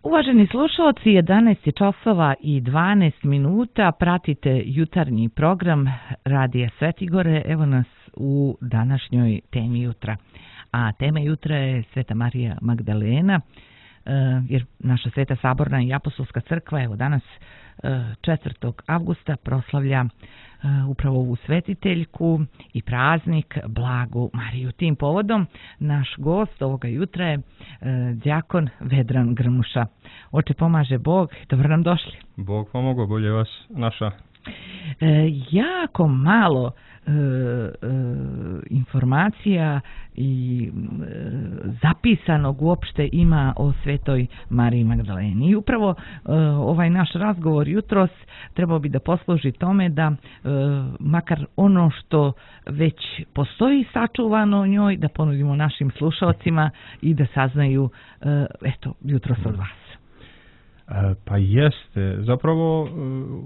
Uvaženi slušalci, 11 je časova i 12 minuta, pratite jutarnji program Radija Svetigore, evo nas u današnjoj temi jutra. A tema jutra je Sveta Marija Magdalena, jer naša Sveta Saborna i Apostolska crkva evo danas 4. avgusta proslavlja upravo ovu svetiteljku i praznik Blagu Mariju. Tim povodom naš gost ovoga jutra je đakon Vedran Grmuša. Oče pomaže Bog, dobro nam došli. Bog pomogao, bolje vas naša. Jako malo informacija i zapisanog uopšte ima o Svetoj Mariji Magdaleni. I upravo ovaj naš razgovor jutros trebao bi da posluži tome da makar ono što već postoji sačuvano o njoj, da ponudimo našim slušalcima i da saznaju jutros od vas. Pa jeste. Zapravo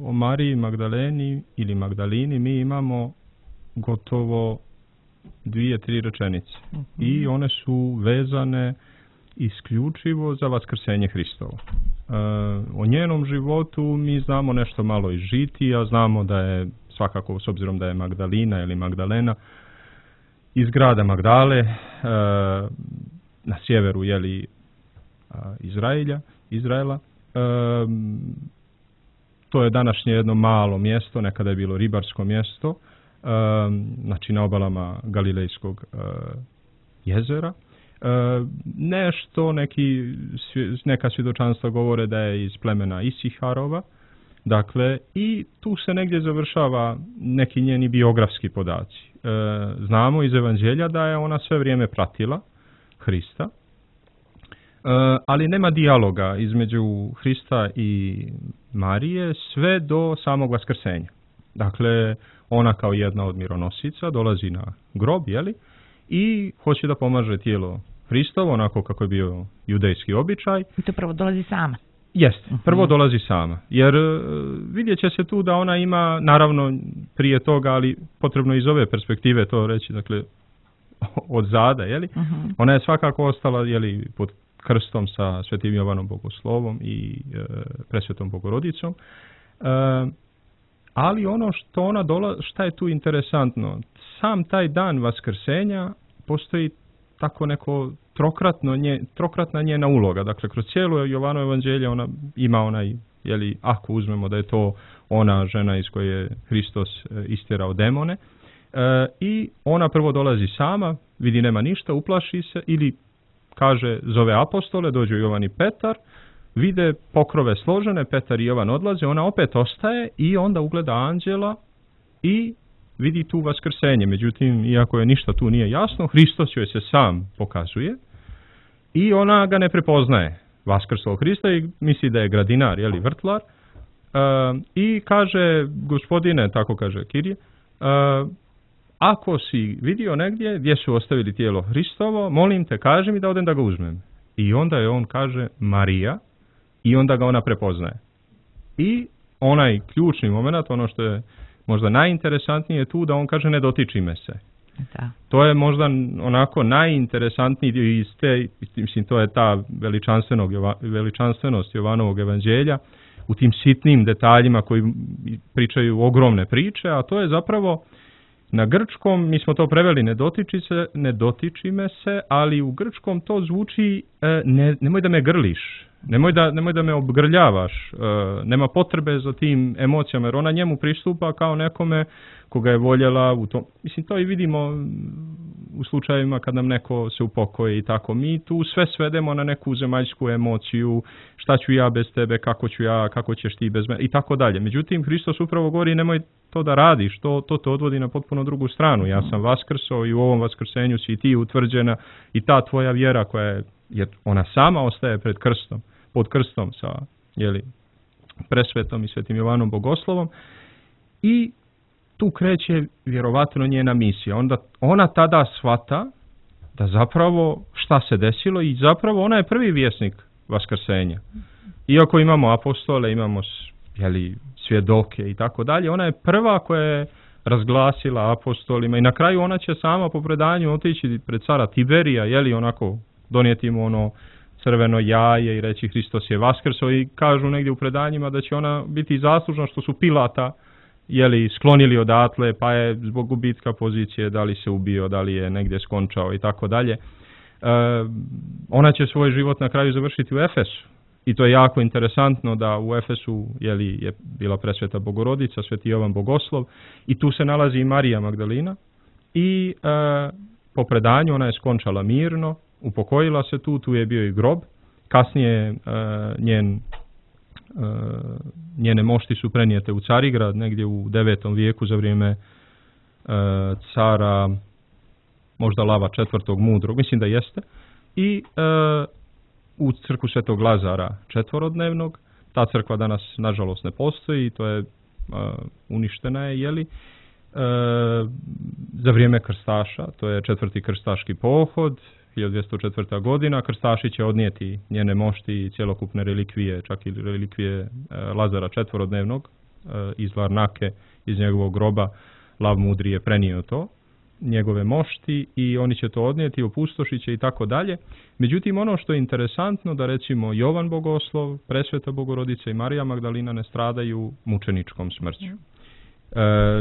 o Mariji Magdaleni ili Magdalini mi imamo gotovo 2-3 rečenice. I one su vezane isključivo za vaskrsenje Hristovo. O njenom životu mi znamo nešto malo iz žitija, znamo da je svakako, s obzirom da je Magdalina ili Magdalena, iz grada Magdale, na sjeveru Izraela. To je današnje jedno malo mjesto, nekada je bilo ribarsko mjesto, znači na obalama Galilejskog jezera. Neka svjedočanstva govore da je iz plemena Isiharova, dakle, i tu se negdje završava neki njeni biografski podaci. Znamo iz Evanđelja da je ona sve vrijeme pratila Hrista, ali nema dijaloga između Hrista i Marije sve do samog vaskrsenja. Dakle, ona kao jedna od mironosica dolazi na grob, i hoće da pomaže tijelo Hristovo, onako kako je bio judejski običaj. I to prvo dolazi sama. Jeste, prvo dolazi sama, jer vidjet će se tu da ona ima, naravno prije toga, ali potrebno iz ove perspektive to reći, dakle, od zada, ona je svakako ostala, pod krstom sa Svetim Jovanom Bogoslovom i Presvetom Bogorodicom. Ali ono što ona šta je tu interesantno, sam taj dan vaskrsenja postoji tako neko trokratna njena uloga. Dakle, kroz cijelo Jovanovo evanđelje ona ima onaj, ako uzmemo da je to ona žena iz koje je Hristos istjerao demone, i ona prvo dolazi sama, vidi nema ništa, uplaši se ili kaže, zove apostole, dođu Jovan i Petar, vide pokrove složene, Petar i Jovan odlaze, ona opet ostaje i onda ugleda anđela i vidi tu vaskrsenje. Međutim, iako je ništa tu nije jasno, Hristos joj se sam pokazuje i ona ga ne prepoznaje, vaskrslog Hrista, i misli da je gradinar, vrtlar, i kaže, gospodine, tako kaže Kirije, ako si vidio negdje gdje su ostavili tijelo Hristovo, molim te, kaži mi da odem da ga uzmem. I onda je on kaže Marija i onda ga ona prepoznaje. I onaj ključni moment, ono što je možda najinteresantnije tu, da on kaže ne dotiči me se. Da. To je možda onako najinteresantniji dio iz te, mislim, to je ta veličanstvenost Jovanovog evanđelja u tim sitnim detaljima koji pričaju ogromne priče, a to je zapravo na grčkom, mi smo to preveli ne dotiči me se, ali u grčkom to zvuči nemoj da me grliš, nemoj da me obgrljavaš, nema potrebe za tim emocijama, jer ona njemu pristupa kao nekome koga je voljela u tom. Mislim, to i vidimo u slučajevima kad nam neko se upokoji i tako. Mi tu sve svedemo na neku zemaljsku emociju, šta ću ja bez tebe, kako ću ja, kako ćeš ti bez mene i tako dalje. Međutim, Hristos upravo govori nemoj to da radiš, to te odvodi na potpuno drugu stranu. Ja sam vaskrso i u ovom vaskrsenju si i ti utvrđena i ta tvoja vjera koja je, jer ona sama ostaje pod krstom sa Presvetom i Svetim Jovanom Bogoslovom, i tu kreće vjerovatno njena misija. Onda ona tada shvata da zapravo šta se desilo i zapravo ona je prvi vjesnik vaskrsenja. Iako imamo apostole, imamo svjedoke i tako dalje, ona je prva koja je razglasila apostolima i na kraju ona će sama po predanju otići pred cara Tiberija, onako donijeti mu crveno jaje i reći Hristos je vaskrso i kažu negdje u predanjima da će ona biti zaslužna što su Pilata sklonili odatle, pa je zbog gubitka pozicije, da li se ubio, da li je negdje skončao i tako dalje. Ona će svoj život na kraju završiti u Efesu. I to je jako interesantno da u Efesu je bila presveta Bogorodica, sveti Jovan Bogoslov i tu se nalazi i Marija Magdalina i po predanju ona je skončala mirno, upokojila se tu je bio i grob. Kasnije njene mošti su prenijete u Carigrad negdje u 9. vijeku za vrijeme cara možda Lava IV. Mudrog, mislim da jeste, i u crkvu Svetog Lazara četvorodnevnog. Ta crkva danas nažalost ne postoji, to je uništena je, za vrijeme krstaša, to je 4. krstaški pohod, 1204. godina, krstaši će odnijeti njene mošti i cjelokupne relikvije, čak i relikvije Lazara četvorodnevnog iz Larnake, iz njegovog groba. Lav Mudri je prenio to, njegove mošti, i oni će to odnijeti, opustošit će i tako dalje. Međutim, ono što je interesantno da recimo Jovan Bogoslov, presveta Bogorodica i Marija Magdalina ne stradaju mučeničkom smrću.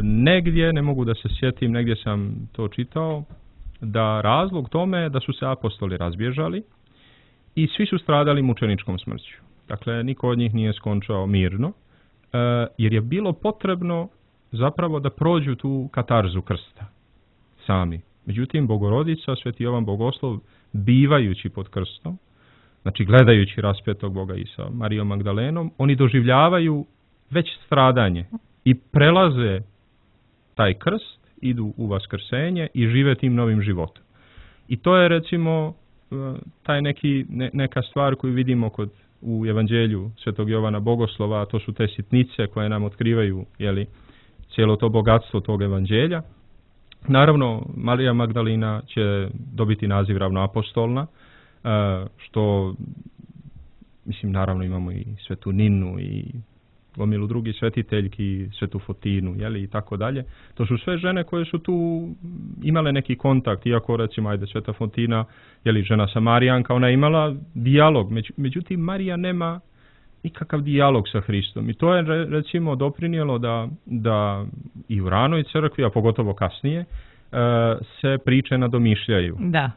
Negdje, ne mogu da se sjetim, negdje sam to čitao, da razlog tome je da su se apostoli razbježali i svi su stradali mučeničkom smrću. Dakle, niko od njih nije skončao mirno, jer je bilo potrebno zapravo da prođu tu katarzu krsta sami. Međutim, Bogorodica, sveti Jovan Bogoslov, bivajući pod krstom, znači gledajući raspetog Boga i sa Marijom Magdalenom, oni doživljavaju već stradanje i prelaze taj krst, idu u vaskrsenje i žive tim novim životom. I to je recimo taj neka stvar koju vidimo u evanđelju svetog Jovana Bogoslova, a to su te sitnice koje nam otkrivaju cijelo to bogatstvo tog evanđelja. Naravno, Marija Magdalina će dobiti naziv ravnoapostolna, što, mislim, naravno imamo i svetu Ninu i gomilu drugih svetiteljki, svetu Fotinu, i tako dalje. To su sve žene koje su tu imale neki kontakt, iako recimo, sveta Fotina, žena Samarijanka, ona je imala dijalog, međutim Marija nema nikakav dijalog sa Hristom. I to je recimo doprinijelo da i u ranoj crkvi, a pogotovo kasnije, se priče nadomišljaju. Da.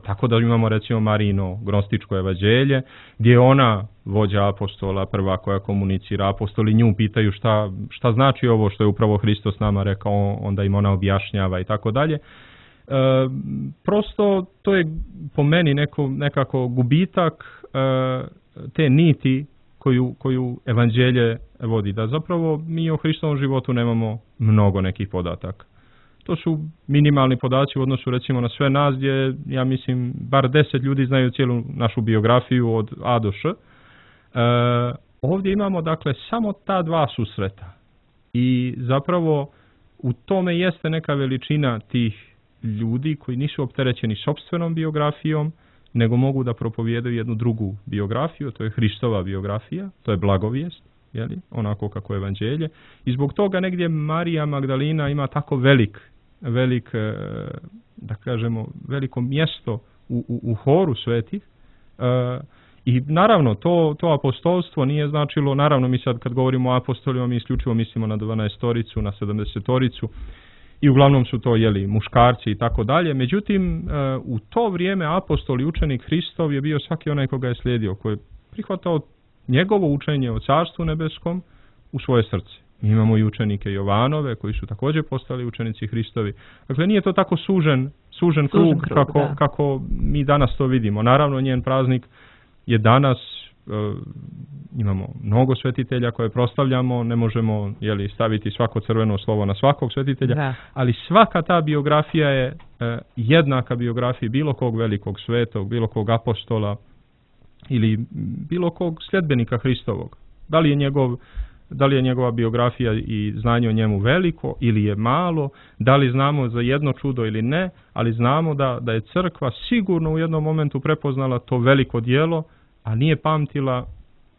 Tako da imamo recimo Marino gnostičko evanđelje, gdje je ona vođa apostola, prva koja komunicira. Apostoli nju pitaju šta znači ovo što je upravo Hristos nama rekao, onda im ona objašnjava i tako dalje. Prosto to je po meni nekako gubitak te niti koju evanđelje vodi, da zapravo mi o Hristovom životu nemamo mnogo nekih podataka. To su minimalni podaci u odnosu recimo na sve nas, gdje ja mislim bar 10 ljudi znaju cijelu našu biografiju od A do Š. Ovdje imamo dakle samo ta dva susreta i zapravo u tome jeste neka veličina tih ljudi koji nisu opterećeni sopstvenom biografijom, nego mogu da propovijedaju jednu drugu biografiju, to je Hristova biografija, to je blagovijest, onako kako je evanđelje. I zbog toga negdje Marija Magdalina ima tako da kažemo, veliko mjesto u horu svetih. I naravno, to apostolstvo nije značilo, naravno mi sad kad govorimo o apostolima, mi isključivo mislimo na 12-toricu, na 70-toricu, i uglavnom su to muškarci i tako dalje. Međutim, u to vrijeme apostol i učenik Hristov je bio svaki onaj koga je slijedio, koji je prihvatao njegovo učenje o Carstvu nebeskom u svoje srce. Mi imamo i učenike Jovanove koji su također postali učenici Hristovi. Dakle, nije to tako sužen krug kako mi danas to vidimo. Naravno, njen praznik je danas, imamo mnogo svetitelja koje proslavljamo, ne možemo staviti svako crveno slovo na svakog svetitelja, ali svaka ta biografija je jednaka biografiji bilo kog velikog svetog, bilo kog apostola ili bilo kog sljedbenika Hristovog. Da li je njegova biografija i znanje o njemu veliko ili je malo, da li znamo za jedno čudo ili ne, ali znamo da je crkva sigurno u jednom momentu prepoznala to veliko djelo, a nije pamtila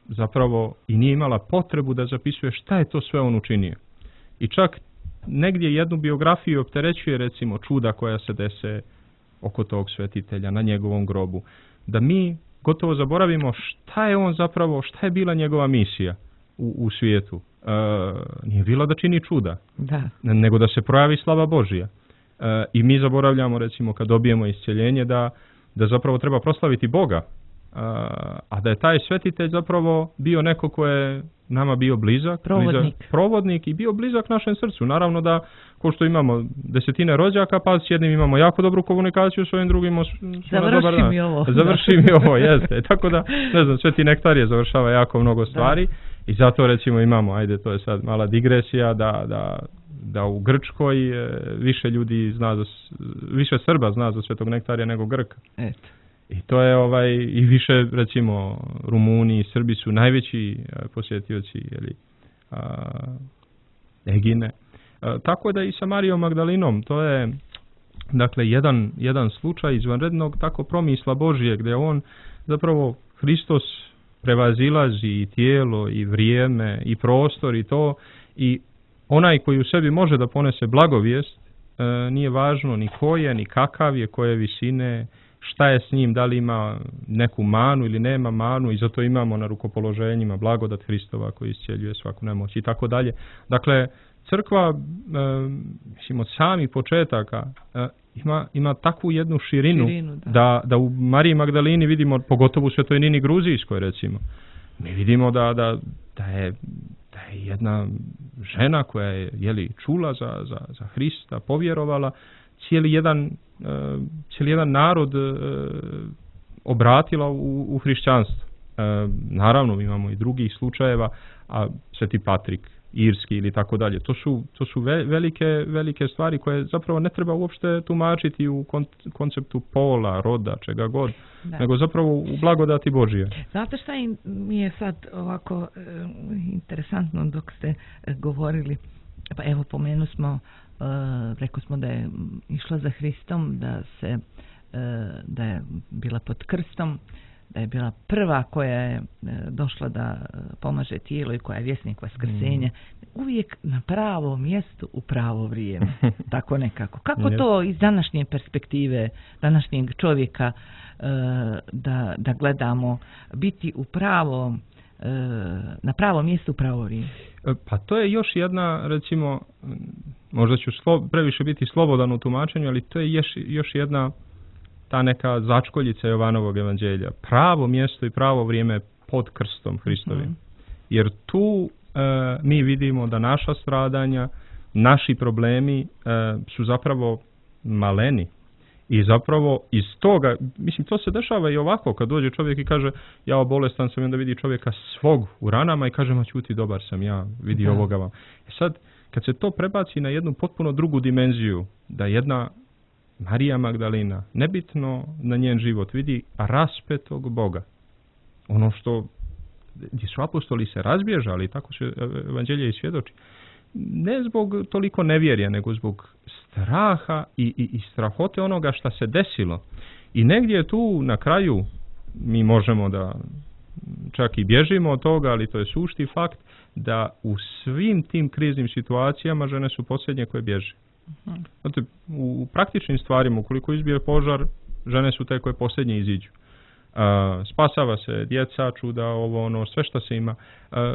zapravo i nije imala potrebu da zapisuje šta je to sve on učinio. I čak negdje jednu biografiju opterećuje recimo čuda koja se dese oko tog svetitelja na njegovom grobu. Da mi gotovo zaboravimo šta je on zapravo, šta je bila njegova misija u svijetu. Nije bila da čini čuda, nego da se projavi slava Božja. I mi zaboravljamo, recimo, kad dobijemo isceljenje, da zapravo treba proslaviti Boga, a da je taj svetitelj zapravo bio neko ko je nama bio blizak, provodnik i bio blizak našem srcu. Naravno da, ko što imamo desetine rođaka, pa s jednim imamo jako dobru komunikaciju, s ovim drugim završi mi ovo, jeste. Tako da, ne znam, Sveti Nektarije završava jako mnogo stvari i zato, recimo, imamo, ajde, to je sad mala digresija, da u Grčkoj više ljudi zna više Srba zna za Svetog Nektarija nego Grka. Eto. I to je i više, recimo, Rumuni i Srbi su najveći posjetioci Egine. Tako da i sa Marijom Magdalinom, to je, dakle, jedan slučaj izvanrednog tako promisla Božije, gdje on zapravo, Hristos prevazilazi i tijelo i vrijeme i prostor i to, i onaj koji u sebi može da ponese blagovijest, nije važno ni ko je, ni kakav je, koje visine, šta je s njim, da li ima neku manu ili nema manu, i zato imamo na rukopoloženjima blagodat Hristova koji iscijeljuje svaku nemoć i tako dalje. Dakle, crkva, mislim, od samih početaka ima takvu jednu širinu da u Mariji Magdalini vidimo, pogotovo u Svetoj Nini Gruzijskoj, recimo, mi vidimo da je jedna žena koja je čula za Hrista, povjerovala, cijeli jedan narod obratila u hrišćanstvo. Naravno, imamo i drugih slučajeva, a Sveti Patrik Irski ili tako dalje. To su velike stvari koje zapravo ne treba uopšte tumačiti u konceptu pola, roda, čega god, nego zapravo u blagodati Božije. Znate šta mi je sad ovako interesantno dok ste govorili? Pa evo, pomenu smo, rekli smo da je išla za Hristom, da je bila pod krstom, da je bila prva koja je došla da pomaže tijelo i koja je vjesnik vaskrsenja. Uvijek na pravo mjestu u pravo vrijeme. Tako nekako. Kako to iz današnje perspektive, današnjeg čovjeka, da gledamo, biti u pravom, na pravo mjestu u pravo vrijeme? Pa to je još jedna, recimo, možda ću previše biti slobodan u tumačenju, ali to je još jedna ta neka začkoljica Jovanovog evanđelja. Pravo mjesto i pravo vrijeme pod krstom Hristovim. Jer tu mi vidimo da naša stradanja, naši problemi su zapravo maleni. I zapravo iz toga, mislim, to se dešava i ovako, kad dođe čovjek i kaže, ja bolestan sam, i onda vidi čovjeka svog u ranama i kaže, ma ćuti, dobar sam ja, vidi ovoga vam. Sad, kad se to prebaci na jednu potpuno drugu dimenziju, da jedna Marija Magdalina, nebitno na njen život, vidi raspetog Boga. Ono što, gdje su apostoli se razbježali, tako se evanđelje i svjedoči. Ne zbog toliko nevjerja, nego zbog straha i strahote onoga što se desilo. I negdje tu na kraju mi možemo da čak i bježimo od toga, ali to je sušti fakt da u svim tim kriznim situacijama žene su posljednje koje bježe. Znate, u praktičnim stvarima, ukoliko izbije požar, žene su te koje posljednje iziđu. Spasava se djeca, čuda, sve što se ima.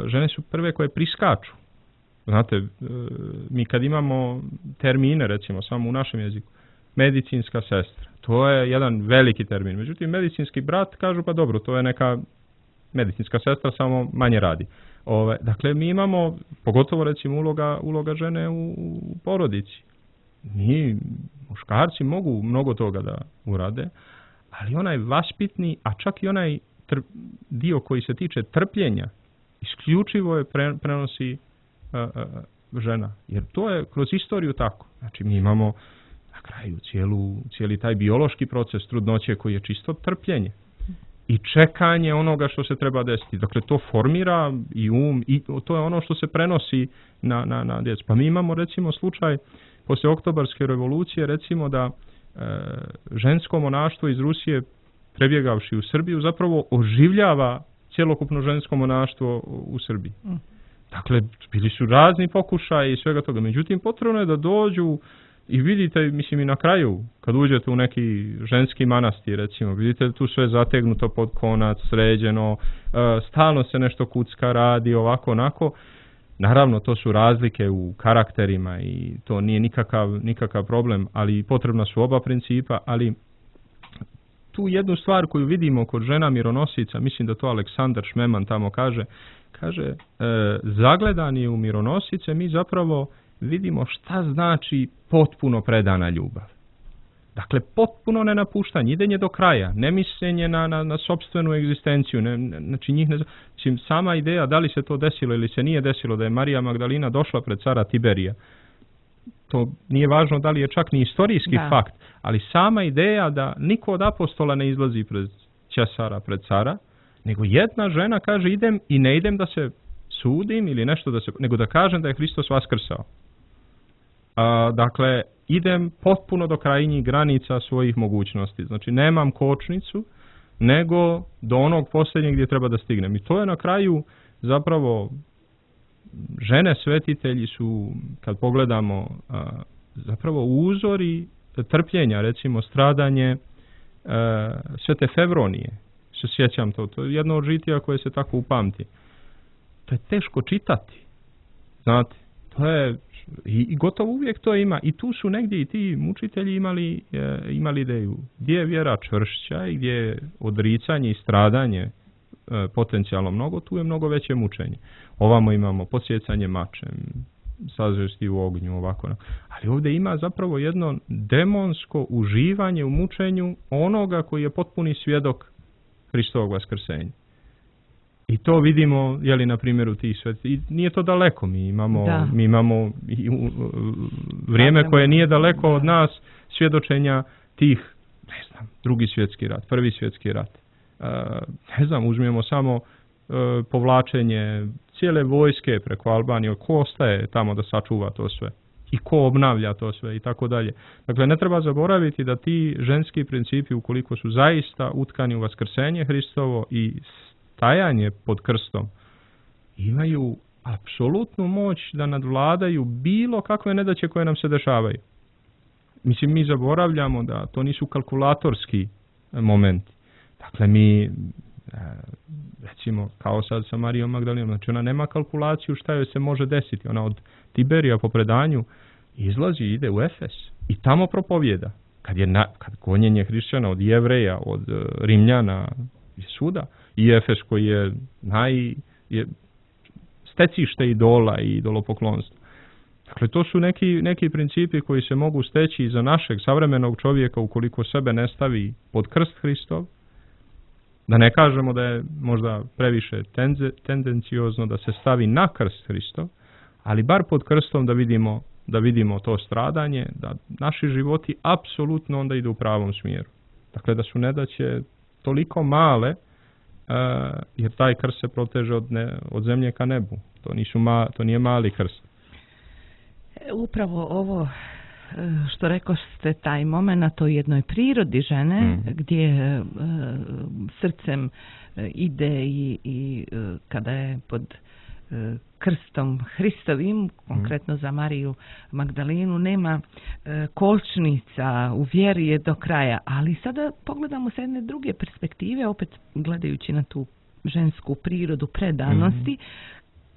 Žene su prve koje priskaču. Znate, mi kad imamo termine, recimo, samo u našem jeziku, medicinska sestra, to je jedan veliki termin. Međutim, medicinski brat kažu, pa dobro, to je neka medicinska sestra, samo manje radi. Dakle, mi imamo, pogotovo recimo uloga žene u porodici. Mi, muškarci, mogu mnogo toga da urade, ali onaj vaspitni, a čak i onaj dio koji se tiče trpljenja, isključivo je prenosi žena. Jer to je kroz istoriju tako. Znači, mi imamo na kraju cijeli taj biološki proces trudnoće koji je čisto trpljenje i čekanje onoga što se treba desiti. Dakle, to formira i i to je ono što se prenosi na djecu. Pa mi imamo, recimo, slučaj poslije Oktobarske revolucije, recimo, da žensko monaštvo iz Rusije, prebjegavši u Srbiju, zapravo oživljava cjelokupno žensko monaštvo u Srbiji. Dakle, bili su razni pokušaji i svega toga. Međutim, potrebno je da dođu I vidite, mislim i na kraju, kad uđete u neki ženski manastir, recimo, vidite tu sve zategnuto pod konac, sređeno, stalno se nešto kucka radi, ovako, onako. Naravno, to su razlike u karakterima i to nije nikakav problem, ali potrebna su oba principa, ali tu jednu stvar koju vidimo kod žena mironosica, mislim da to Aleksandar Šmeman tamo kaže, zagledani u mironosice mi zapravo vidimo šta znači potpuno predana ljubav. Dakle, potpuno nenapuštanje, idenje do kraja, ne mišljenje na sopstvenu egzistenciju, znači njih ne znači, sama ideja da li se to desilo ili se nije desilo, da je Marija Magdalina došla pred cara Tiberija, to nije važno da li je čak ni istorijski fakt, ali sama ideja da niko od apostola ne izlazi pred Ćesara, pred cara, nego jedna žena kaže idem i ne idem da se sudim ili nešto nego da kažem da je Hristos vaskrsao. Dakle, idem potpuno do krajnjih granica svojih mogućnosti. Znači, nemam kočnicu, nego do onog posljednjeg gdje treba da stignem. I to je na kraju zapravo žene svetitelji su, kad pogledamo, zapravo uzori trpljenja, recimo stradanje Svete Fevronije. Se sjećam to je jedno od žitija koje se tako upamti. To je teško čitati. Znate, to je i gotovo uvijek to ima. I tu su negdje i ti mučitelji imali ideju. Gdje je vjera čvršća i gdje je odricanje i stradanje potencijalno mnogo, tu je mnogo veće mučenje. Ovamo imamo podsjecanje mačem, sazvesti u ognju, ovako. Ali ovdje ima zapravo jedno demonsko uživanje u mučenju onoga koji je potpuni svjedok Hristovog vaskrsenja. I to vidimo, na primjeru tih sveti. I nije to daleko, mi imamo vrijeme koje nije daleko od nas svjedočenja tih, Drugi svjetski rat, Prvi svjetski rat. Uzmemo samo povlačenje cijele vojske preko Albanije, ko ostaje tamo da sačuva to sve i ko obnavlja to sve i tako dalje. Dakle, ne treba zaboraviti da ti ženski principi, ukoliko su zaista utkani u vaskrsenje Hristovo i stajanje pod krstom, imaju apsolutnu moć da nadvladaju bilo kakve nedaće koje nam se dešavaju. Mislim, mi zaboravljamo da to nisu kalkulatorski momenti. Dakle, mi, recimo, kao sad sa Marijom Magdalinom, znači ona nema kalkulaciju šta joj se može desiti. Ona od Tiberija po predanju izlazi i ide u Efes i tamo propovjeda. Kad gonjenje hrišćana od Jevreja, od Rimljana i svuda, i Efes koji je stecište idola i idolopoklonstva. Dakle, to su neki principi koji se mogu steći za našeg savremenog čovjeka ukoliko sebe ne stavi pod krst Hristov. Da ne kažemo da je možda previše tendenciozno da se stavi na krst Hristov, ali bar pod krstom da vidimo to stradanje, da naši životi apsolutno onda idu u pravom smjeru. Dakle, da su nedaće toliko male, jer taj krst se proteže od zemlje ka nebu. To nije mali krst. Upravo ovo što rekoste, taj moment o jednoj prirodi žene, gdje srcem ide i kada je pod krstom Hristovim, konkretno za Mariju Magdalinu, nema kočnica, u vjeri je do kraja. Ali sada pogledamo sa jedne druge perspektive, opet gledajući na tu žensku prirodu predanosti,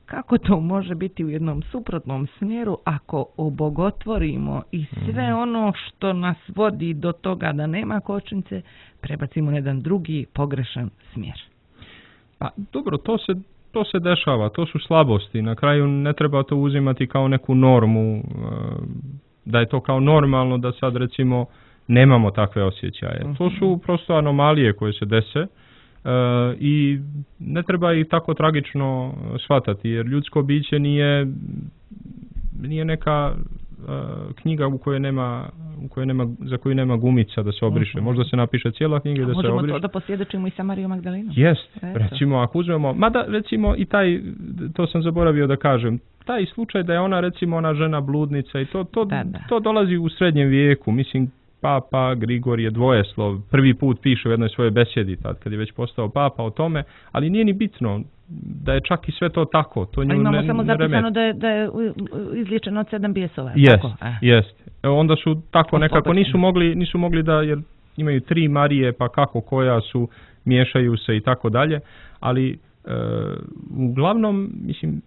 kako to može biti u jednom suprotnom smjeru ako obogotvorimo i sve ono što nas vodi do toga da nema kočnice, prebacimo na jedan drugi pogrešan smjer. Pa dobro, to se dešava, to su slabosti. Na kraju ne treba to uzimati kao neku normu, da je to kao normalno da sad recimo nemamo takve osjećaje. To su prosto anomalije koje se dese i ne treba ih tako tragično shvatati, jer ljudsko biće nije neka knjiga za koju nema gumica da se obriše. Možda se napiše cijela knjiga da se obriše. Možemo to da posvjedočimo i sa Marijom Magdalinom. Jest, recimo ako uzmemo, mada recimo i taj, to sam zaboravio da kažem, taj slučaj da je ona žena bludnica i to dolazi u srednjem vijeku. Mislim, Papa Grigorije Dvojeslov prvi put piše u jednoj svojoj besjedi, tad kad je već postao papa, o tome, ali nije ni bitno da je čak i sve to tako. To imamo samo zapisano da je izliječeno od 7 bijesova. Jest. onda su tako nekako, nisu mogli da, jer imaju 3 Marije, pa kako koja su, miješaju se i tako dalje, ali uglavnom, mislim,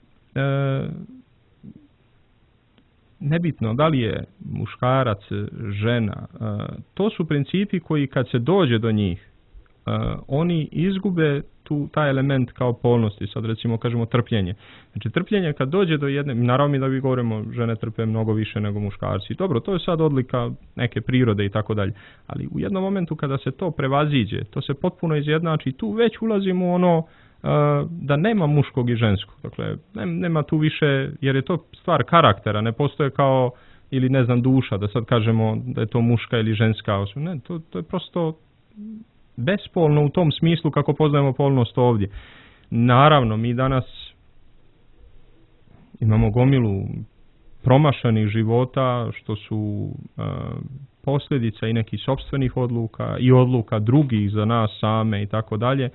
nebitno da li je muškarac, žena, to su principi koji kad se dođe do njih, oni izgube taj element kao polnosti, sad recimo kažemo trpljenje. Znači trpljenje kad dođe do jedne, naravno mi da vi govorimo žene trpe mnogo više nego muškarci, dobro, to je sad odlika neke prirode i tako dalje, ali u jednom momentu kada se to prevaziđe, to se potpuno izjednači, tu već ulazimo u ono da nema muškog i ženskog, dakle nema tu više, jer je to stvar karaktera, ne postoje kao, ili ne znam, duša, da sad kažemo da je to muška ili ženska osoba, ne, to je prosto bespolno u tom smislu kako poznajemo polnost ovdje. Naravno, mi danas imamo gomilu promašanih života, što su posljedica i nekih sopstvenih odluka i odluka drugih za nas same i tako dalje.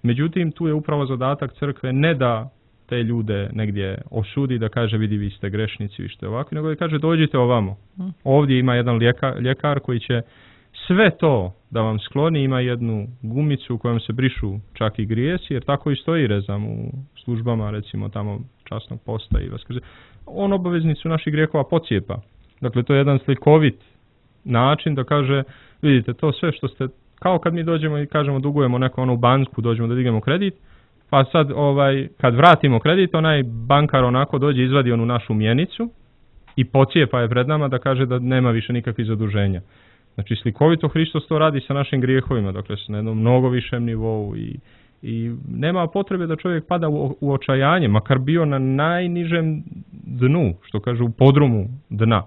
Međutim, tu je upravo zadatak crkve ne da te ljude negdje osudi, da kaže vidi vi ste grešnici, vi ste ovakvi, nego da kaže dođite ovamo. Ovdje ima jedan ljekar koji će sve to da vam skloni, ima jednu gumicu u kojom se brišu čak i grijesi, jer tako i stoji rezam u službama, recimo tamo časnog posta i vaskrze. On obaveznicu naših grijehova pocijepa. Dakle, to je jedan slikovit način da kaže, vidite, to sve što ste, kao kad mi dođemo i kažemo dugujemo neko u banku, dođemo da dignemo kredit, pa sad kad vratimo kredit, onaj bankar onako dođe, izvadi onu našu mjenicu i pocijepa je pred nama da kaže da nema više nikakvih zaduženja. Znači slikovito Hristos to radi sa našim grijehovima, dakle na jednom mnogo višem nivou i nema potrebe da čovjek pada u očajanje, makar bio na najnižem dnu, što kažu u podrumu dna.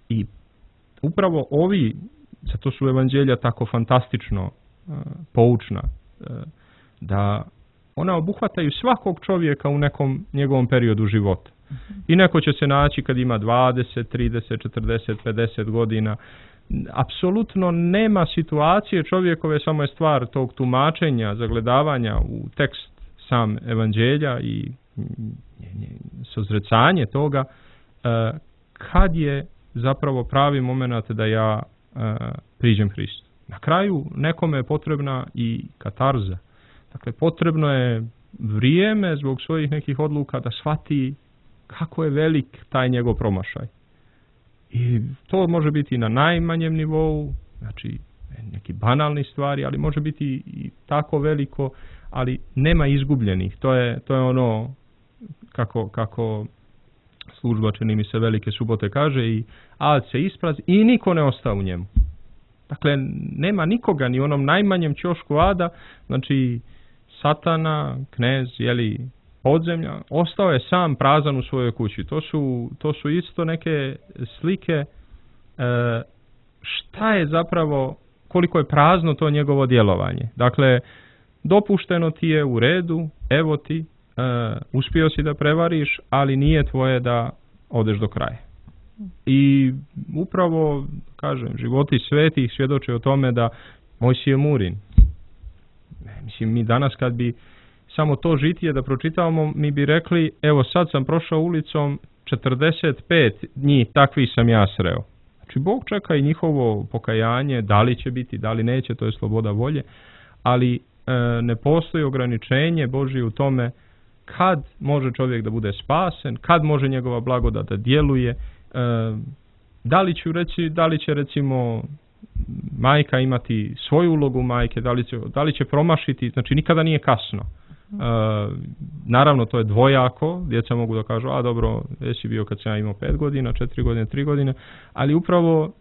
I upravo ovi, zato su evanđelja tako fantastično poučna, da ona obuhvataju svakog čovjeka u nekom njegovom periodu života. I neko će se naći kad ima 20, 30, 40, 50 godina. Apsolutno nema situacije čovjekove, samo je stvar tog tumačenja, zagledavanja u tekst sam evanđelja i sozrecanje toga, kad je zapravo pravi moment da ja priđem Hristu. Na kraju nekome je potrebna i katarza. Dakle, potrebno je vrijeme zbog svojih nekih odluka da shvati kako je velik taj njegov promašaj. I to može biti na najmanjem nivou, znači neki banalni stvari, ali može biti i tako veliko, ali nema izgubljenih. To je ono kako služba, čini mi se, Velike subote kaže, i ad se isprazni i niko ne ostao u njemu. Dakle, nema nikoga ni u onom najmanjem ćošku ada, znači Satana, knez, podzemlja, ostao je sam prazan u svojoj kući. To su isto neke slike šta je zapravo, koliko je prazno to njegovo djelovanje. Dakle, dopušteno ti je u redu, evo ti, uspio si da prevariš, ali nije tvoje da odeš do kraja. I upravo, kažem, životi svetih svjedoče o tome da Mojsije Murin. Mislim, mi danas kad bi samo to žitije da pročitavamo, mi bi rekli, evo sad sam prošao ulicom, 45 njih takvih sam ja sreo. Znači, Bog čeka i njihovo pokajanje, da li će biti, da li neće, to je sloboda volje, ali ne postoji ograničenje Božje u tome kad može čovjek da bude spasen, kad može njegova blagodat da djeluje, da li će recimo majka imati svoju ulogu majke, da li će promašiti, znači nikada nije kasno. Naravno, to je dvojako, djeca mogu da kažu, a dobro, jesi bio kad sam ja imao 5 godina, 4 godine, 3 godine, ali upravo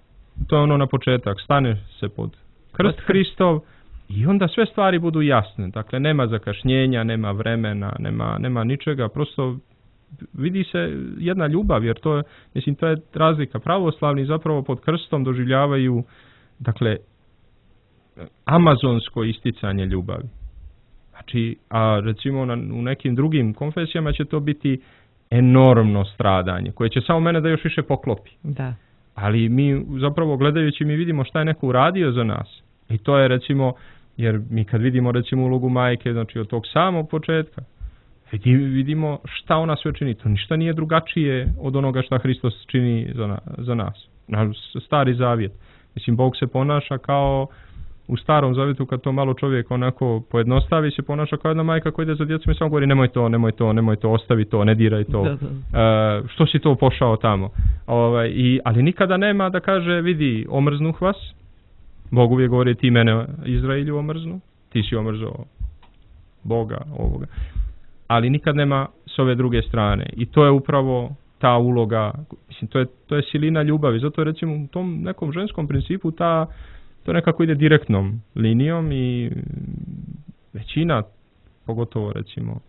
to je ono na početak, stane se pod krst Hristov i onda sve stvari budu jasne, dakle nema zakašnjenja, nema vremena, nema ničega, prosto vidi se jedna ljubav, jer to je razlika. Pravoslavni zapravo pod krstom doživljavaju, dakle, amazonsko isticanje ljubavi. Znači, a recimo u nekim drugim konfesijama će to biti enormno stradanje, koje će samo mene da još više poklopi. Da. Ali mi zapravo gledajući mi vidimo šta je neko uradio za nas. I to je recimo, jer mi kad vidimo recimo ulogu majke, znači od tog samog početka, Vidimo šta ona sve čini. To ništa nije drugačije od onoga šta Hristos čini za nas. Naš stari zavjet. Mislim, Bog se ponaša kao u starom zavjetu, kad to malo čovjek onako pojednostavi, se ponaša kao jedna majka koja ide za djecom i samo govori nemoj to, ostavi to, ne diraj to. Što si to pošao tamo? Ali nikada nema da kaže, vidi, omrznuh vas. Bog uvijek govori, ti mene Izraelju omrznu, ti si omrzao Boga, ovoga. Ali nikad nema s ove druge strane. I to je upravo ta uloga, mislim, to je silina ljubavi. Zato recimo u tom nekom ženskom principu to nekako ide direktnom linijom i većina, pogotovo recimo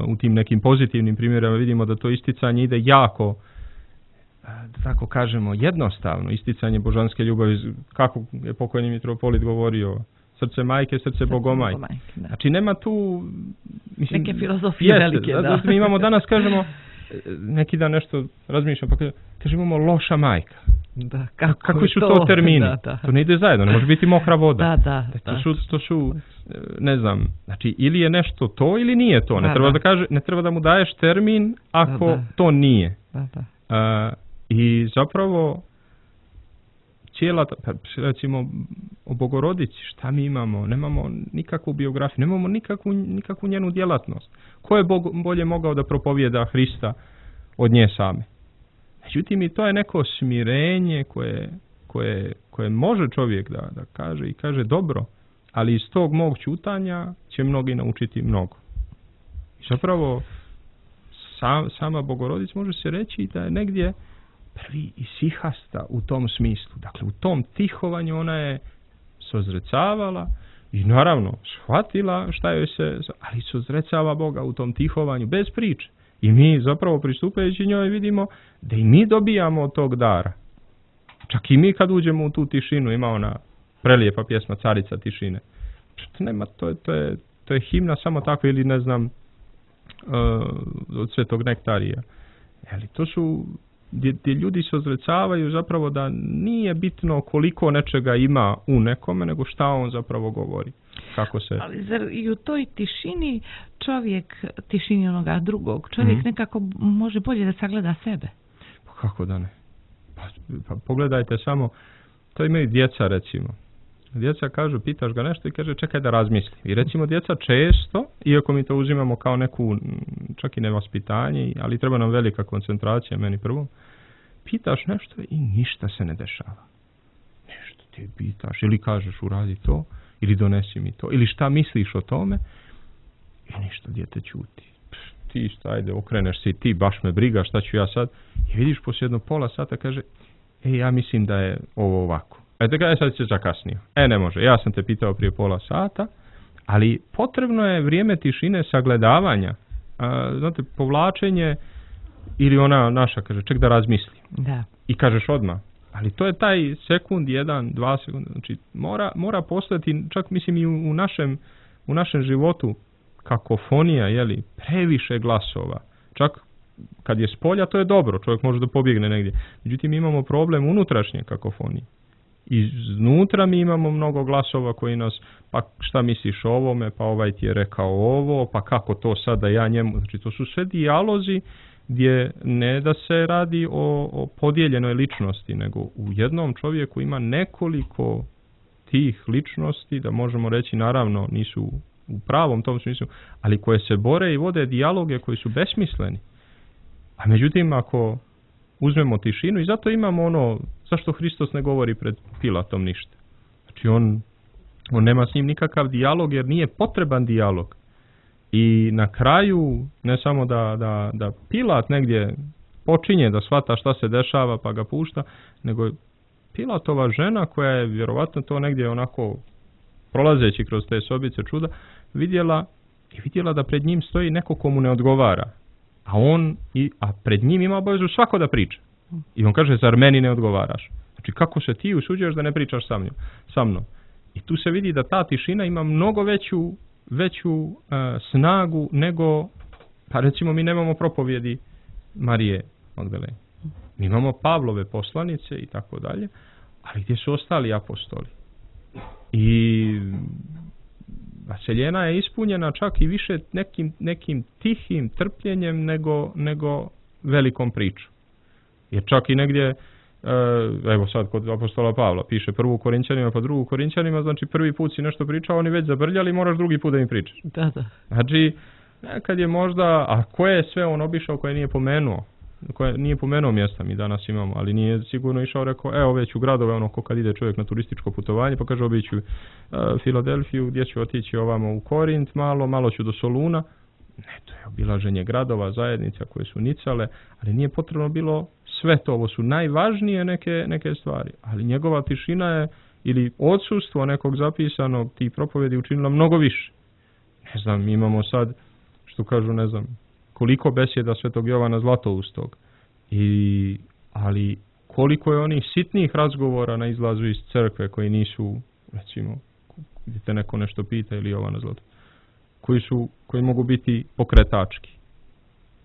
u tim nekim pozitivnim primjerima vidimo da to isticanje ide jako, da tako kažemo, jednostavno. Isticanje božanske ljubavi, kako je pokojni mitropolit govorio, srce majke, srce bogomajke. Znači nema tu... Mislim, neke filozofije velike, da. Mi imamo danas, kažemo, neki dan nešto razmišljam, pa kažemo imamo loša majka. Da, kakvi su to termini? Da. To ne ide zajedno, ne može biti mokra voda. Da. To su, ne znam, znači ili je nešto to ili nije to. Ne treba da mu daješ termin ako to nije. I zapravo cijela, recimo o Bogorodici, šta mi imamo? Nemamo nikakvu biografiju, nemamo nikakvu njenu djelatnost. Ko je bolje mogao da propovijeda Hrista od nje same? Međutim, i to je neko smirenje koje može čovjek da kaže i kaže dobro, ali iz tog mog ćutanja će mnogi naučiti mnogo. I zapravo sama Bogorodica može se reći da je negdje prvi isihasta u tom smislu. Dakle, u tom tihovanju ona je sozrecavala i naravno shvatila šta joj se, ali sozrecava Boga u tom tihovanju bez priče. I mi zapravo pristupajući njoj vidimo da i mi dobijamo od tog dara. Čak i mi kad uđemo u tu tišinu, ima ona prelijepa pjesma Carica tišine. Nema, to je himna samo tako, ili ne znam, od Svetog Nektarija. Ali to su gdje ljudi se ozrecavaju zapravo da nije bitno koliko nečega ima u nekome, nego šta on zapravo govori. Kako se... Ali zar i u toj tišini čovjek, tišini onoga drugog, čovjek nekako može bolje da sagleda sebe? Kako da ne? Pa pogledajte samo, to imaju djeca recimo. Djeca kažu, pitaš ga nešto i kaže čekaj da razmisli. I recimo djeca često, iako mi to uzimamo kao neku, čak i nevaspitanje, ali treba nam velika koncentracija, meni prvo, pitaš nešto i ništa se ne dešava. Nešto ti pitaš ili kažeš uradi to, ili donesi mi to, ili šta misliš o tome, i ništa, dijete ćuti. Ti šta, ajde, okreneš se i ti, baš me briga, šta ću ja sad? I vidiš poslije jedno pola sata, kaže, ja mislim da je ovo ovako. Sad se zakasnio. Ne može, ja sam te pitao prije pola sata, ali potrebno je vrijeme tišine sagledavanja, znate, povlačenje, ili ona naša, kaže, ček da razmislim. Da. I kažeš odmah. Ali to je taj sekund, 1, 2 sekunde, znači mora postati, čak mislim i u našem životu, kakofonija, jeli, previše glasova. Čak kad je s polja, to je dobro, čovjek može da pobjegne negdje. Međutim, imamo problem unutrašnje kakofonije. Iznutra mi imamo mnogo glasova koji nas, pa šta misliš o ovome, pa ovaj ti je rekao ovo, pa kako to sada ja njemu, znači to su sve dijalozi gdje ne da se radi o podijeljenoj ličnosti, nego u jednom čovjeku ima nekoliko tih ličnosti, da možemo reći naravno nisu u pravom tom smislu, ali koje se bore i vode dijaloge koji su besmisleni. A međutim, ako uzmemo tišinu, i zato imamo ono, zašto Hristos ne govori pred Pilatom ništa. Znači on nema s njim nikakav dijalog jer nije potreban dijalog. I na kraju, ne samo da Pilat negdje počinje da shvata šta se dešava pa ga pušta, nego Pilatova žena koja je vjerovatno to negdje onako prolazeći kroz te sobice čuda vidjela da pred njim stoji neko komu ne odgovara. A pred njim ima obavezu svako da priča. I on kaže, zar meni ne odgovaraš? Znači, kako se ti usuđuješ da ne pričaš sa mnom? I tu se vidi da ta tišina ima mnogo veću snagu nego, pa recimo mi nemamo propovjedi Marije Magdalene. Mi imamo Pavlove poslanice i tako dalje, ali gdje su ostali apostoli? I vaseljena je ispunjena čak i više nekim tihim trpljenjem nego velikom pričom. Jer čak i negdje, evo sad kod apostola Pavla, piše prvu Korinćanima pa drugu Korinćanima, znači prvi put si nešto pričao, oni već zabrljali, moraš drugi put da im pričaš. Da. Znači, nekad je možda, a koje je sve on obišao koje nije pomenuo? Koje nije pomenuo mjesta, mi danas imamo, ali nije sigurno išao, rekao, evo već u gradove, ono ko kad ide čovjek na turističko putovanje, pa kaže obiću Filadelfiju, gdje ću otići ovamo u Korint, malo ću do Soluna. Ne, to je obilaženje gradova, zajednica koje su nicale, ali nije potrebno bilo sve to, ovo su najvažnije neke stvari, ali njegova tišina je, ili odsustvo nekog zapisanog tih propovedi učinila mnogo više. Ne znam, imamo sad, što kažu, ne znam, koliko besjeda Svetog Jovana Zlatoustog, ali koliko je onih sitnih razgovora na izlazu iz crkve koji nisu, recimo, gdje te neko nešto pita ili Jovana Zlatoustog, koji mogu biti pokretački.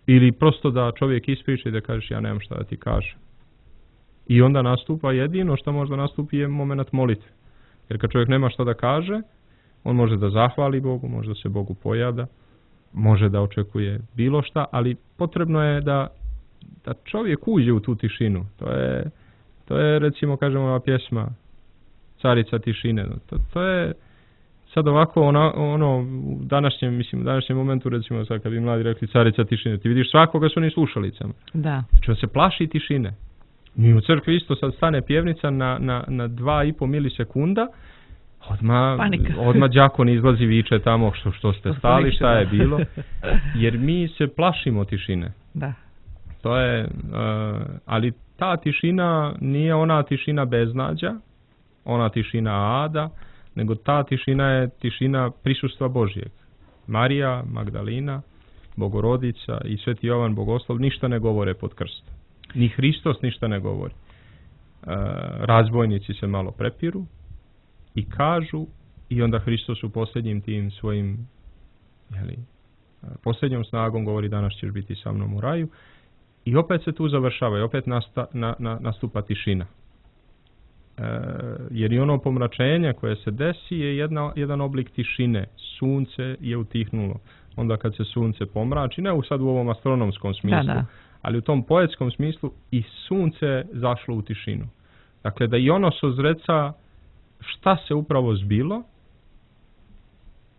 Ili prosto da čovjek ispriča i da kažeš ja nemam šta da ti kažem. I onda nastupa jedino što možda nastupi je moment molitve. Jer kad čovjek nema šta da kaže, on može da zahvali Bogu, može da se Bogu pojavlja, može da očekuje bilo šta, ali potrebno je da čovjek uđe u tu tišinu. To je recimo, kažemo, ova pjesma Carica tišine. To je sad ovako ono u današnjem momentu, recimo sad kad bi mladi rekli Carica tišine, ti vidiš svakoga su oni slušalicama. Da. Znači on se plaši tišine. Mi u crkvi isto sad stane pjevnica na 2,5 milisekunda, odmah đakon izlazi, viče tamo što ste stali, šta je bilo, jer mi se plašimo tišine. Da. To je, ali ta tišina nije ona tišina beznađa, ona tišina ada, nego ta tišina je tišina prisustva Božjeg. Marija, Magdalina, Bogorodica i Sveti Jovan Bogoslov ništa ne govore pod krstom. Ni Hristos ništa ne govori. Razbojnici se malo prepiru i kažu, i onda Hristos u posljednjim tim svojim posljednjom snagom govori danas ćeš biti sa mnom u raju, i opet se tu završava i opet nastupa tišina. Jer i ono pomračenje koje se desi je jedan oblik tišine. Sunce je utihnulo. Onda kad se sunce pomrači, ne sad u ovom astronomskom smislu, ali u tom poetskom smislu, i sunce zašlo u tišinu. Dakle, da i ono sozreca šta se upravo zbilo,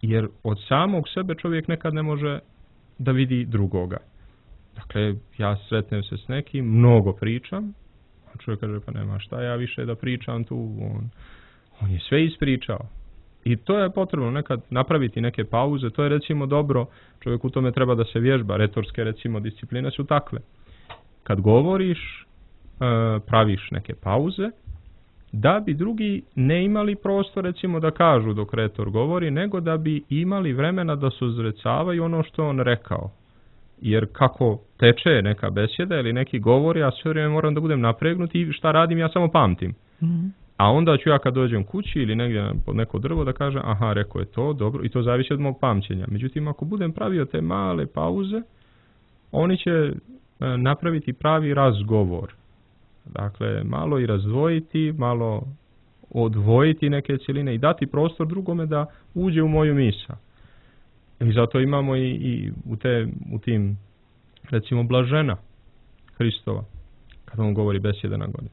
jer od samog sebe čovjek nekad ne može da vidi drugoga. Dakle, ja sretnem se s nekim, mnogo pričam, a čovjek kaže, pa nema šta ja više da pričam tu, on je sve ispričao. I to je potrebno nekad napraviti neke pauze, to je recimo dobro, čovjek u tome treba da se vježba, retorske recimo discipline su takve. Kad govoriš, praviš neke pauze, da bi drugi ne imali prostor recimo da kažu dok retor govori, nego da bi imali vremena da sozrecavaju ono što on rekao. Jer kako teče neka besjeda ili neki govor, ja sve vrijeme moram da budem napregnut i šta radim, ja samo pamtim. Mm-hmm. A onda ću ja kad dođem kući ili negdje pod neko drvo da kažem, aha, rekao je to, dobro, i to zavisi od mog pamćenja. Međutim, ako budem pravio te male pauze, oni će napraviti pravi razgovor. Dakle, malo i razdvojiti, malo odvojiti neke cjeline i dati prostor drugome da uđe u moju misao. I zato imamo i u tim, recimo, blažena Hristova, kada on govori besjeda na godinu.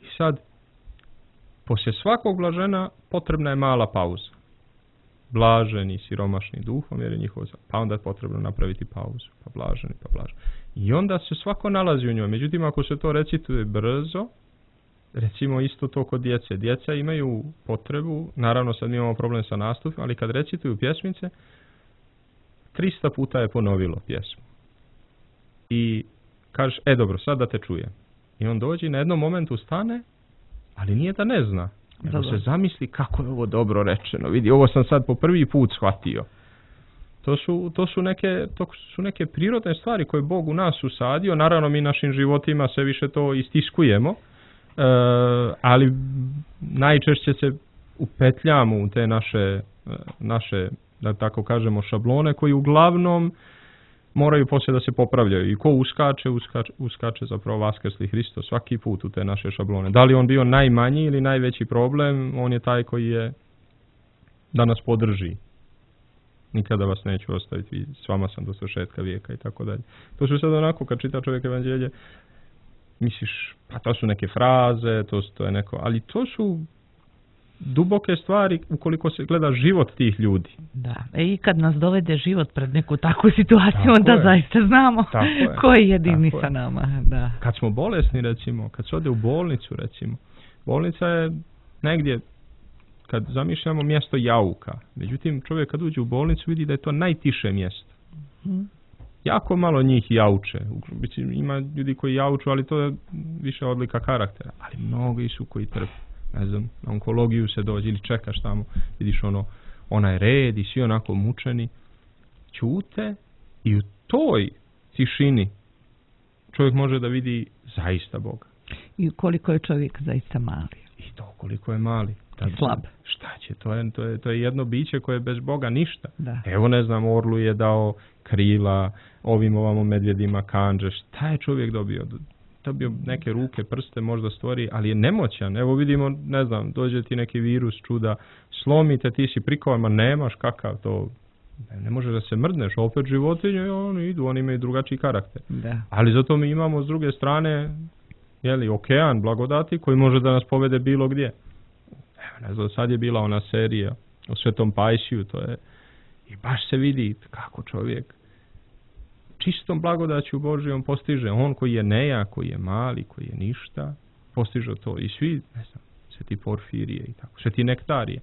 I sad, poslije svakog blažena potrebna je mala pauza. Blaženi, siromašni duhom, jer je njihov, pa onda je potrebno napraviti pauzu, pa blaženi. I onda se svako nalazi u njoj. Međutim, ako se to recituje brzo, recimo isto to kod djece. Djeca imaju potrebu, naravno sad mi imamo problem sa nastupom, ali kad recituju pjesmice, 300 puta je ponovilo pjesmu. I kažeš, dobro, sad da te čujem. I on dođe i na jednom momentu stane, ali nije da ne zna. Nego se zamisli kako je ovo dobro rečeno. Vidi, ovo sam sad po prvi put shvatio. To su neke prirodne stvari koje Bog u nas usadio. Naravno, mi našim životima sve više to istiskujemo, ali najčešće se upetljamo u te naše, da tako kažemo, šablone koji uglavnom moraju poslije da se popravljaju. I ko uskače zapravo vaskrsli Hristos svaki put u te naše šablone. Da li on bio najmanji ili najveći problem, on je taj koji je da nas podrži nikada vas neću ostaviti, s vama sam do svršetka vijeka i tako dalje. To su sad onako, kad čita čovjek evanđelje, misliš, pa to su neke fraze, to je neko, ali to su duboke stvari ukoliko se gleda život tih ljudi. Da, i kad nas dovede život pred neku takvu situaciju, onda zaista znamo ko je jedini sa nama. Da. Kad smo bolesni, recimo, kad se ode u bolnicu, recimo, bolnica je negdje, kad zamišljamo, mjesto jauka. Međutim, čovjek kad uđe u bolnicu vidi da je to najtiše mjesto. Jako malo njih jauče. Ima ljudi koji jauču, ali to je više odlika karaktera. Ali mnogi su koji trpe. Ne znam, na onkologiju se dođe ili čekaš tamo, vidiš onaj red i svi onako mučeni. Ćute i u toj tišini čovjek može da vidi zaista Boga. I koliko je čovjek zaista mali. I to koliko je mali. Slab. Šta će? To je jedno biće koje je bez Boga ništa. Da. Evo, ne znam, orlu je dao krila, ovamo medvjedima kanđe. Šta je čovjek dobio? Dobio neke ruke, prste, možda stvori, ali je nemoćan. Evo vidimo, ne znam, dođe ti neki virus, čuda, slomite, ti si prikovan, ma nemaš kakav to. Ne možeš da se mrdneš, opet životinje, oni imaju drugačiji karakter. Da. Ali zato mi imamo s druge strane, okean blagodati koji može da nas povede bilo gdje. Ne znam, sad je bila ona serija o Svetom Pajsiju, to je, i baš se vidi kako čovjek čistom blagodaću Božijom postiže. On koji je nejak, koji je mali, koji je ništa, postiže to. I svi, ne znam, Sveti Porfirije i tako, Sveti Nektarije.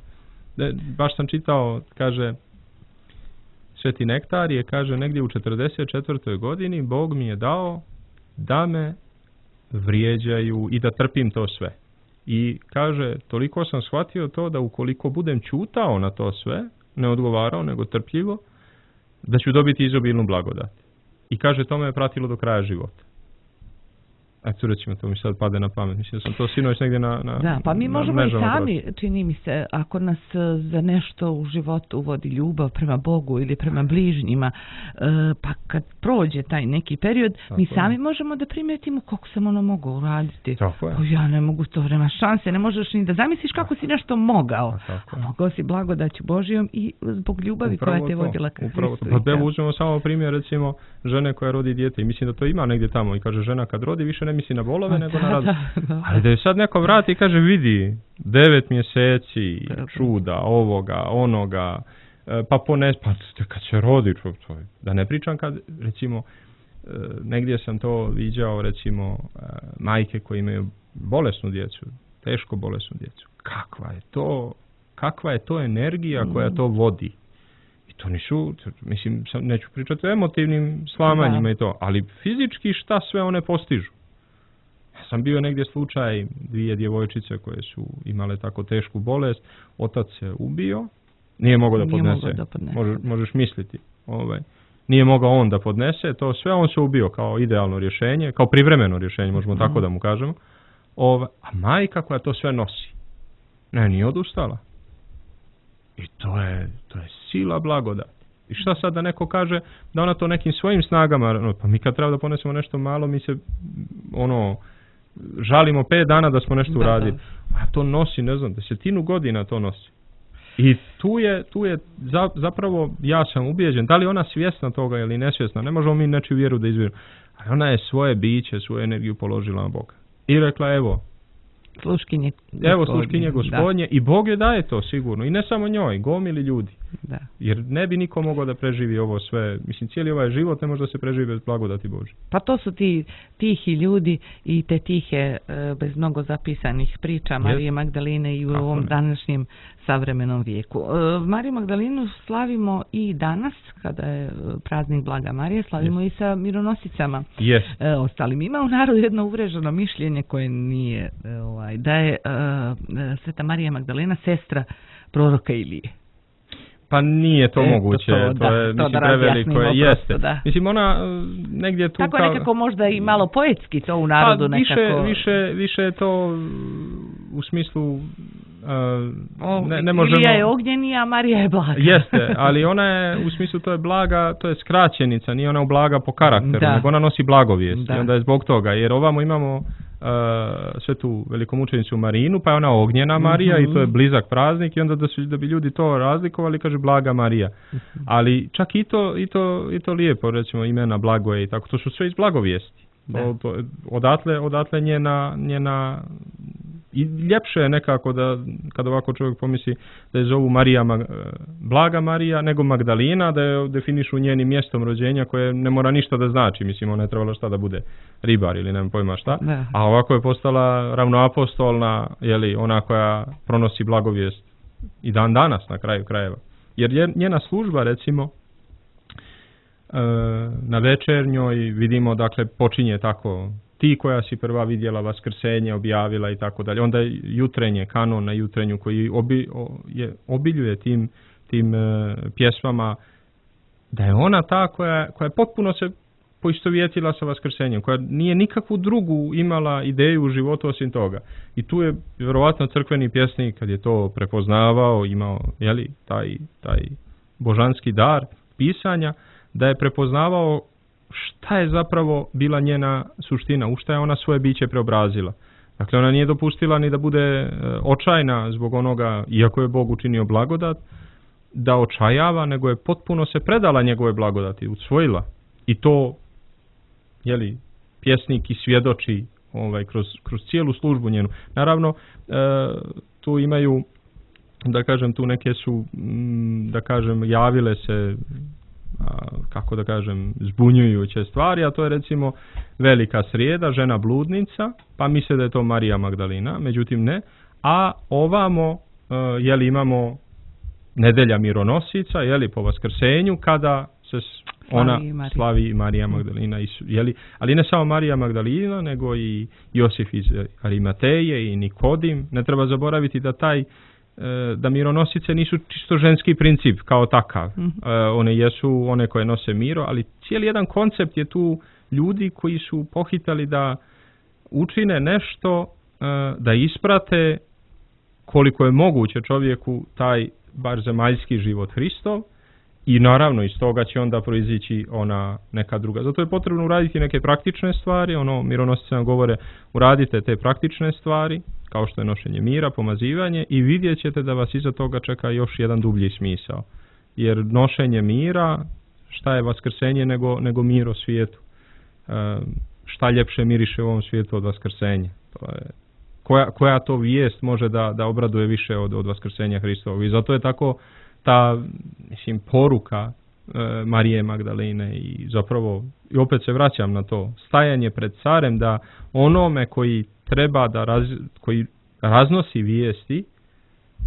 Baš sam čitao, kaže, Sveti Nektarije, kaže, negdje u 44. godini Bog mi je dao da me vrijeđaju i da trpim to sve. I kaže, toliko sam shvatio to da ukoliko budem ćutao na to sve, ne odgovarao, nego trpljivo, da ću dobiti izobilnu blagodat. I kaže, to me je pratilo do kraja života. Eto, recimo, to mi sad pade na pamet. Mislim da sam to sinoć negdje Da, pa mi možemo i sami, čini mi se, ako nas za nešto u životu vodi ljubav prema Bogu ili prema bližnjima, pa kad prođe taj neki period, mi sami možemo da primetimo kako sam mogu uraditi. Ja ne mogu to, nema šanse, ne možeš ni da zamisliš kako si nešto mogao. A mogao si blagodaću Božijom i zbog ljubavi koja te vodila ka Hristu. Pa evo uzmemo samo primjer, recimo, žene koja rodi dijete. I mislim da to ima negdje tamo. I kaže, žena kad rodi više ne misli na bolove, nego na radost. Ali da je sad neko vrati i kaže, vidi, 9 mjeseci, čuda, ovoga, onoga, pa kad se rodi, da ne pričam kad, recimo, negdje sam to viđao, recimo, majke koje imaju bolesnu djecu, teško bolesnu djecu. Kakva je to energija koja to vodi? I to nisu, mislim, neću pričati o emotivnim slamanjima i to, ali fizički šta sve one postižu. Sam bio negdje slučaj 2 djevojčice koje su imale tako tešku bolest, otac se ubio, nije mogao da podnese. Možeš misliti. Nije mogao on da podnese, to sve on se ubio kao idealno rješenje, kao privremeno rješenje, možemo tako da mu kažemo. A majka koja to sve nosi, nije odustala. I to je sila blagodat. I šta sad da neko kaže da ona to nekim svojim snagama, pa mi kad treba da ponesemo nešto malo, mi se žalimo 5 dana da smo nešto uradili. A to nosi, ne znam, 10 godina to nosi. I tu je zapravo, ja sam ubijeđen, da li ona svjesna toga ili nesvjesna, ne možemo mi nečiju vjeru da izvjerimo. Ali ona je svoje biće, svoju energiju položila na Boga. I rekla, evo, sluškinje Gospodnje, i Bog je daje to sigurno. I ne samo njoj, gomili ljudi. Da. Jer ne bi niko mogao da preživi ovo sve. Mislim, cijeli ovaj život ne može da se preživi bez blagodati Božje. Pa to su ti tihi ljudi i te tihe, bez mnogo zapisanih priča Marije Magdaline i u ovom današnjem savremenom vijeku. Mariju Magdalinu slavimo i danas, kada je praznik Blaga Marije, slavimo i sa mironosicama. Ostalim. Ima u narodu jedno uvreženo mišljenje koje nije, da je Sveta Marija Magdalena sestra proroka Ilije. Pa nije to moguće, to je mislim preveliko, jeste. Mislim ona negdje tu tako nekako možda i malo poetski to u narodu nekako. Više je to u smislu ne možemo. Ilija je ognjeni, a Marija je blaga. Jeste, ali ona je u smislu to je blaga, to je skraćenica, nije ona blaga po karakteru, nego ona nosi blagovijest. I onda je zbog toga, jer ovamo imamo svetu velikomučenicu Marinu, pa je ona ognjena Marija i to je blizak praznik i onda da bi ljudi to razlikovali, kaže Blaga Marija. Ali čak i to lijepo, recimo imena Blagoje i tako, to su sve iz blagovijesti. Odatle njena i ljepše je nekako da kada ovako čovjek pomisli da je zovu Blaga Marija nego Magdalina, da je definišu njenim mjestom rođenja koje ne mora ništa da znači, mislim ona je trebala šta da bude ribar ili nemam pojma šta, a ovako je postala ravnoapostolna, ona koja pronosi blagovijest i dan danas na kraju krajeva. Jer njena služba recimo na večernjoj vidimo, dakle, počinje tako, ti koja si prva vidjela vaskrsenje, objavila i tako dalje. Onda jutrenje, kanon na jutrenju koji obiljuje tim pjesmama, da je ona ta koja je potpuno se poistovjetila sa vaskrsenjem, koja nije nikakvu drugu imala ideju u životu osim toga. I tu je vjerovatno crkveni pjesnik, kad je to prepoznavao, imao taj božanski dar pisanja, da je prepoznavao šta je zapravo bila njena suština, u šta je ona svoje biće preobrazila. Dakle, ona nije dopustila ni da bude očajna zbog onoga, iako je Bog učinio blagodat, da očajava, nego je potpuno se predala njegove blagodati, usvojila. I to, pjesnik i svjedoči kroz cijelu službu njenu. Naravno, tu imaju, da kažem, tu neke su, da kažem, javile se, kako da kažem, zbunjujuće stvari, a to je recimo Velika srijeda, žena bludnica, pa misle da je to Marija Magdalina, međutim ne, a ovamo, imamo nedelja mironosica, po vaskrsenju, kada se ona slavi Marija Magdalina, ali ne samo Marija Magdalina, nego i Josif iz Arimateje i Nikodim. Ne treba zaboraviti da mironosice nisu čisto ženski princip kao takav. One jesu one koje nose miro, ali cijeli jedan koncept je tu ljudi koji su pohitali da učine nešto, da isprate koliko je moguće čovjeku taj bar zemaljski život Hristov i naravno iz toga će onda proizići ona neka druga. Zato je potrebno uraditi neke praktične stvari, mironosice nam govore uradite te praktične stvari, kao što je nošenje mira, pomazivanje i vidjet ćete da vas iza toga čeka još jedan dublji smisao. Jer nošenje mira, šta je vaskrsenje nego mir o svijetu? Šta ljepše miriše u ovom svijetu od vaskrsenja? To je, koja to vijest može da obraduje više od vaskrsenja Hristovog? I zato je tako ta, poruka Marije Magdaline i zapravo, i opet se vraćam na to, stajanje pred carem da onome koji treba koji raznosi vijesti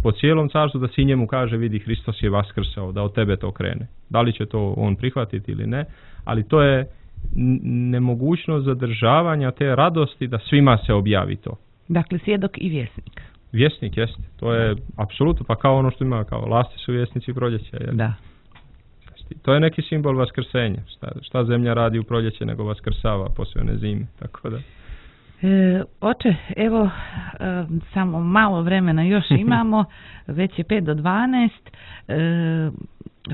po cijelom carstvu, da si njemu kaže vidi Hristos je vaskrsao, da od tebe to krene. Da li će to on prihvatiti ili ne, ali to je nemogućnost zadržavanja te radosti da svima se objavi to. Dakle, svjedok i vjesnik. Vjesnik, jeste. To je apsolutno, pa kao ono što ima, kao lasti su vjesnici proljeća. Da. To je neki simbol vaskrsenja. Šta zemlja radi u proljeće nego vaskrsava poslije one zime, tako da. Oče, evo, samo malo vremena još imamo, već je 5 do 12.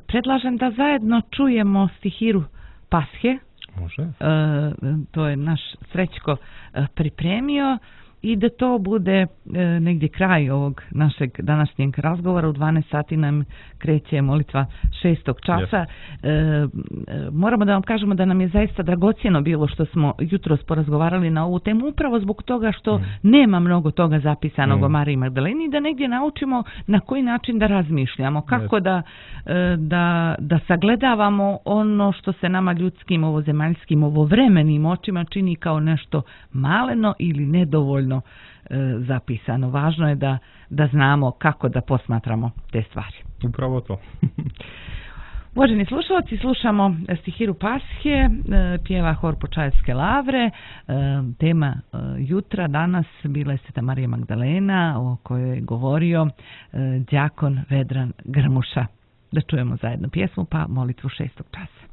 Predlažem da zajedno čujemo stihiru Pashe. Može. To je naš Srećko pripremio i da to bude negdje kraj ovog našeg današnjeg razgovora. U 12 sati nam kreće molitva 6. časa. Moramo da vam kažemo da nam je zaista dragocjeno bilo što smo jutros porazgovarali na ovu temu, upravo zbog toga što nema mnogo toga zapisanog o Mariji Magdaleni, da negdje naučimo na koji način da razmišljamo, kako da sagledavamo ono što se nama ljudskim, ovozemaljskim, ovovremenim očima čini kao nešto maleno ili nedovoljno zapisano. Važno je da znamo kako da posmatramo te stvari. Upravo to. Uvaženi slušalci, slušamo stihiru Pashe, pjeva hor Počaevske lavre. Tema jutra danas bila je Sveta Marija Magdalena, o kojoj je govorio đakon Vedran Grmuša. Da čujemo zajedno pjesmu pa molitvu 6. časa.